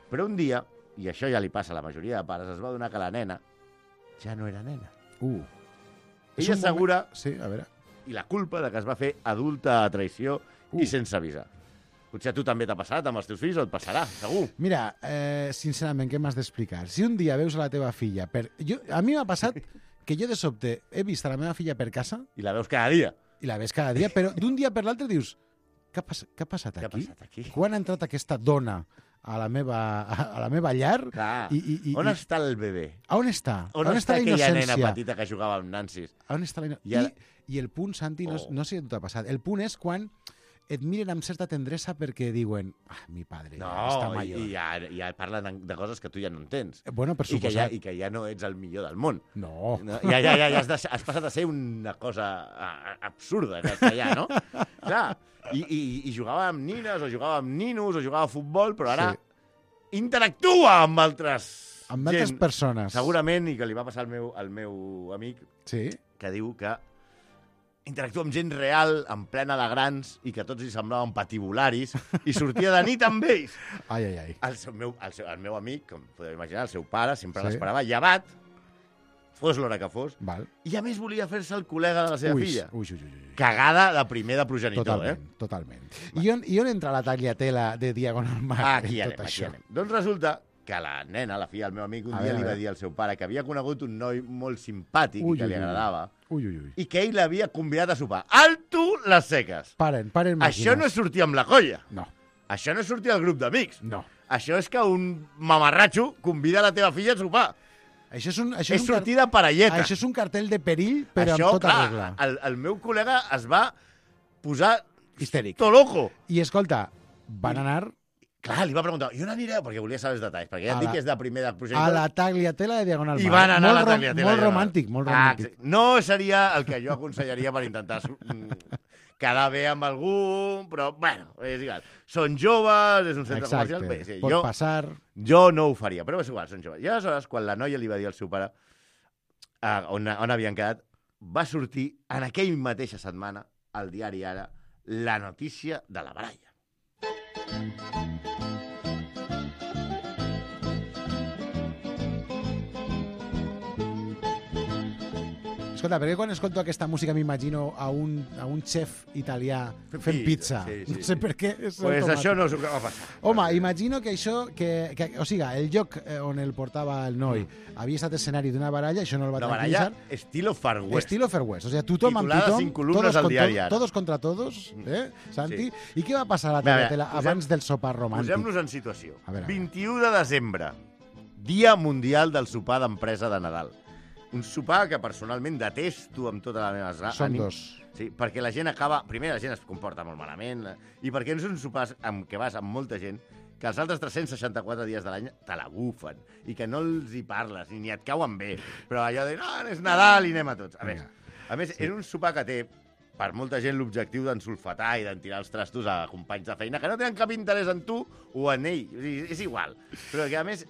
Però un dia, i això ja li passa a la majoria de pares, es va donar que la nena ja no era nena. Ella assegura... Sí, a veure. I la culpa de que es va fer adulta a traïció i sense avisar. Potser a tu també t'ha passat amb els teus fills o et passarà, segur. Mira, sincerament, què m'has d'explicar? Si un dia veus a la teva filla... A mi m'ha passat que jo de sobte he vist a la meva filla per casa... I la veus cada dia. I la veus cada dia, però d'un dia per l'altre dius... què ha passat Què ha aquí? passat aquí? Quan ha entrat aquesta dona a la meva llar? Clar. I On està el bebè? On està? On està la aquella nena innocència? petita que jugava amb nansis? On està la I ara- I el punt, Santi, no sé si t'ha passat, el punt és quan et miren amb certa tendresa perquè diuen mi padre està No, major. i ja parlen de coses que tu ja no entens. Bueno, per I suposat. que ja no ets el millor del món. No. Ja has passat a ser una cosa absurda, castellà, no? Clar, i jugava amb nines, o jugava amb ninos, o jugava a futbol, però ara interactua amb altres persones. Segurament, i que li va passar al meu amic, sí? Que diu que interactua amb gent real, en plena de grans, i que tots li semblaven patibularis, i sortia de nit amb ells. Ai, ai, ai. El meu amic, com podeu imaginar, el seu pare, sempre Sí. l'esperava llevat, fos l'hora que fos, Val. i a més volia fer-se el col·lega de la seva filla. Ui. Cagada de primer de progenitor, Totalment. I on entra la tagliatela de Diagonal Mar? Aquí anem. Doncs resulta que la nena, la filla del meu amic, un dia li va dir al seu pare que havia conegut un noi molt simpàtic i que li agradava, i que ell l'havia convidat a sopar. Alto les seques! Paren màquines. Això no és sortir amb la colla. No. Això no és sortir al grup d'amics. No. Això és que un mamarratxo convida la teva filla a sopar. Això és sortir de parelleta. Això és un cartell de perill, però això, amb tota clar, regla. el meu col·lega es va posar histèric. To loco. I escolta, van anar... Clar, li va preguntar, i on anireu? Perquè volia saber els detalls, perquè ja et dic que és de primer de progenitor. A la tagliatela de Diagonal Mar. I van anar a la tagliatela. Molt romàntic, molt romàntic. No seria el que jo aconsellaria per intentar quedar bé amb algú, però, bueno, és igual. Són joves, és un centre comercial. Bé, sí, pot passar. Jo no ho faria, però és igual, són joves. I aleshores, quan la noia li va dir al seu pare on havien quedat, va sortir en aquell mateixa setmana al diari Ara la notícia de la baralla. Escolta, perquè quan escolto aquesta música m'imagino a un xef italià fent pizza. Sí. No sé per què. Pues això no és el que va passar. Home, imagino que això... o sigui, el lloc on el portava el noi havia estat escenari d'una baralla, això no el va tranquil·litzar. Una baralla estilo Far West. Estilo Far West. O sigui, tothom amb titulada tothom, 5 columnes al diari Ara. todos contra todos, Santi? Sí. I què va passar a la tagliatela abans del sopar romàntic? Posem-nos en situació. A veure. 21 de desembre, Dia Mundial del Sopar d'Empresa de Nadal. Un sopar que personalment detesto amb tota la meva ànima. Són dos. Sí, perquè la gent acaba... Primer, la gent es comporta molt malament, i perquè no són sopars amb què vas amb molta gent, que els altres 364 dies de l'any te la bufen, i que no els hi parles, ni et cauen bé. Però allò de, no, és Nadal i anem a tots. A més, és un sopar que té, per molta gent, l'objectiu d'ensulfatar i d'entirar els trastos a companys de feina, que no tenen cap interès en tu o en ell. O sigui, és igual. Però que, a més,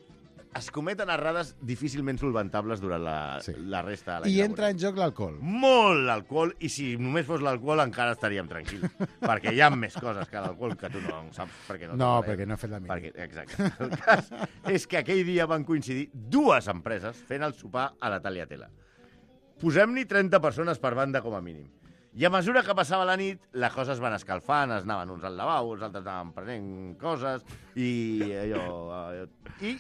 es cometen errades difícilment solventables durant la resta de l'any. I entra en joc l'alcohol. Molt l'alcohol, i si només fos l'alcohol encara estaríem tranquils. Perquè hi ha més coses que l'alcohol que tu no saps perquè perquè no he fet la mínima. Exacte. El cas és que aquell dia van coincidir dues empreses fent el sopar a la tagliatela. Posem-n'hi 30 persones per banda com a mínim. I a mesura que passava la nit, les coses van escalfant, es anaven uns al lavabo, els altres anaven prenent coses, i I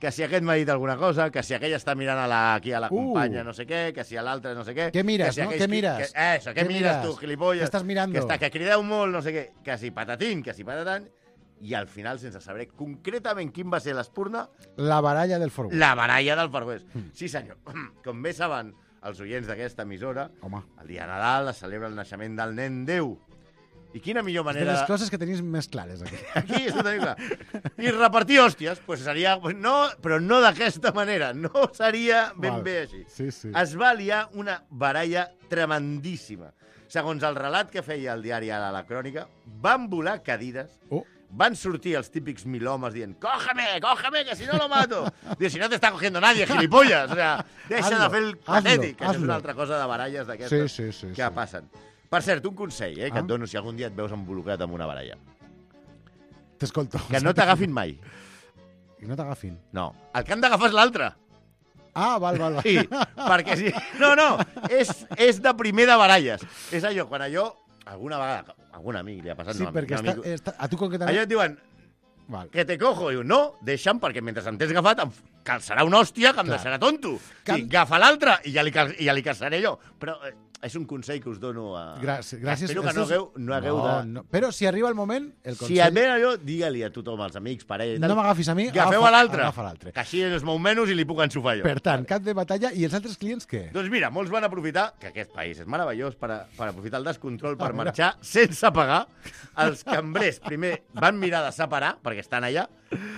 que si aquest m'ha dit alguna cosa, que si aquell està mirant aquí a la companya no sé què, que si a l'altre no sé què... Què mires, si no? Què mires? Què mires tu, gilipolles? Què estàs mirando? Que crideu molt, no sé què, que si patatín, que si patatant, i al final, sense saber concretament quin va ser l'espurna... La baralla del Far West. La baralla del Far West. Sí, senyor. Com bé saben els oients d'aquesta emissora, el dia de Nadal es celebra el naixement del nen Déu. I quina millor manera... De les coses que tenim més clares, aquí. Aquí és tenim clar. I repartir hòsties, pues seria... No, però no d'aquesta manera. No seria ben bé així. Sí. Es va liar una baralla tremendíssima. Segons el relat que feia el diari Ara, la crònica, van volar cadires, van sortir els típics milhomes dient «Cógeme, que si no lo mato!» Diu, si no te está cogiendo nadie, gilipollas! O sea, deixa de fer el patètic. Això és una altra cosa de baralles d'aquestes que passen. Per cert, un consell que et dono si algun dia et veus involucrat en una baralla. T'escolto. Que no t'agafin mai. Que no t'agafin? No. El que han d'agafar és l'altre. Ah, val. Sí, perquè sí. No, és de primer de baralles. És allò, quan alguna vegada, algun amic li ha passat... Sí, perquè a tu concretament... Allò et diuen, que te cojo. Diu, no, deixa'm, perquè mentre em tens agafat em calçarà una hòstia que em deixarà tonto. Sí, agafa l'altre i ja li calçaré jo. Però és un consell que us dono a... Gràcies. Espero que no hagueu de... No. Però si arriba el moment, el consell... Si et ve allò, digue-li a tothom, als amics, parella i tal. No m'agafis a mi, agafeu a l'altre. Agafa l'altre. Que així es mou menys i li puc ensofar jo. Per tant, cap de batalla. I els altres clients què? Doncs mira, molts van aprofitar, que aquest país és meravellós, per aprofitar el descontrol per marxar sense pagar. Els cambrers primer van mirar de separar, perquè estan allà,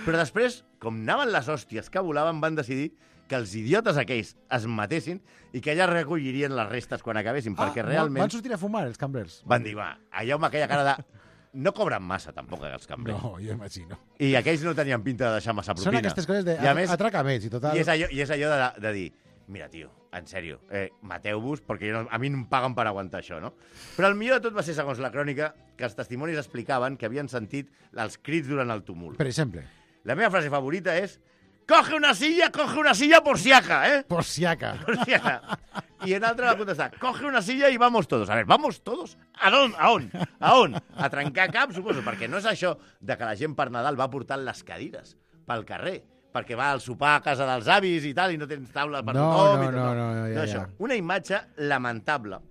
però després, com anaven les hòsties que volaven, van decidir que els idiotes aquells es matessin i que ja recollirien les restes quan acabessin, perquè realment... Van sortir a fumar, els cambrers? Van dir, allà amb aquella cara de... No cobren massa, tampoc, els cambrers. No, jo imagino. I aquells no tenien pinta de deixar massa propina. Són aquestes coses de... Atraca més, i total... I és allò de dir... Mira, tio, en sèrio, mateu-vos, perquè a mi no em paguen per aguantar això, no? Però el millor de tot va ser, segons la crònica, que els testimonis explicaven que havien sentit els crits durant el tumult. Per exemple? La meva frase favorita és coge una silla por siaca, ¿eh? Por siaca. I en altre va contestar, coge una silla i vamos todos. A ver, ¿vamos todos? A on? A trencar cap, suposo, perquè no és això de que la gent per Nadal va portant les cadires pel carrer, perquè va al sopar a casa dels avis i tal, i no tens taula per tothom. No, això. Una imatge lamentable,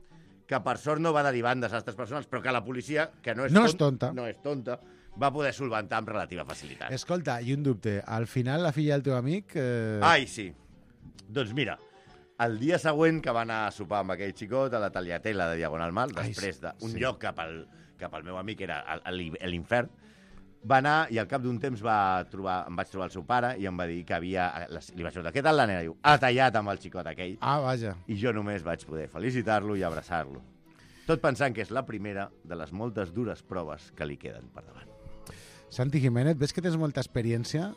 que per sort no va derivar en desastres personals, però que la policia, que no és tonta, va poder solventar amb relativa facilitat. Escolta, i un dubte. Al final, la filla del teu amic... Ai, sí. Doncs mira, el dia següent que va anar a sopar amb aquell xicot a la Tagliatella de Diagonal Mal, després d'un lloc cap al meu amic, era l'infern, va anar i al cap d'un temps em vaig trobar el seu pare i em va dir que li vaig preguntar, què tal la nena? Diu, ha tallat amb el xicot aquell. Vaja. I jo només vaig poder felicitar-lo i abraçar-lo. Tot pensant que és la primera de les moltes dures proves que li queden per davant. Santi Jiménez, ves que tens molta experiència?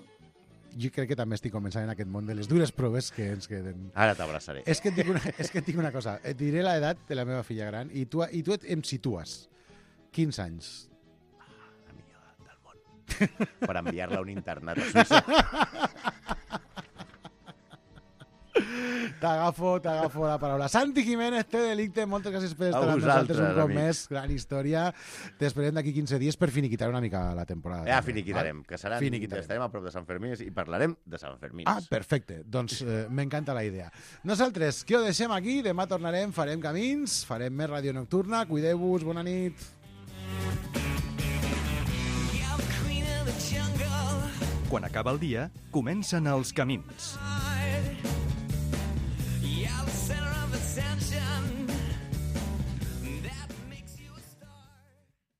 Jo crec que també estic començant en aquest món de les dures proves que ens queden. Ara t'abraçaré. És que et dic una cosa. Et diré l'edat de la meva filla gran i tu em situes. 15 anys. La millor edat del món. Per enviar-la a un internat a Suïssa. T'agafo la paraula. Santi Jiménez, té delicte, moltes gràcies per estar amb nosaltres un cop més. Gran història. T'esperem d'aquí 15 dies per finiquitar una mica la temporada. Ja finiquitarem, que estarem a prop de Sant Fermí i parlarem de Sant Fermí. Perfecte. Doncs m'encanta la idea. Nosaltres, que ho deixem aquí, demà tornarem, farem camins, farem més ràdio nocturna. Cuideu-vos, bona nit. Quan acaba el dia, comencen els camins.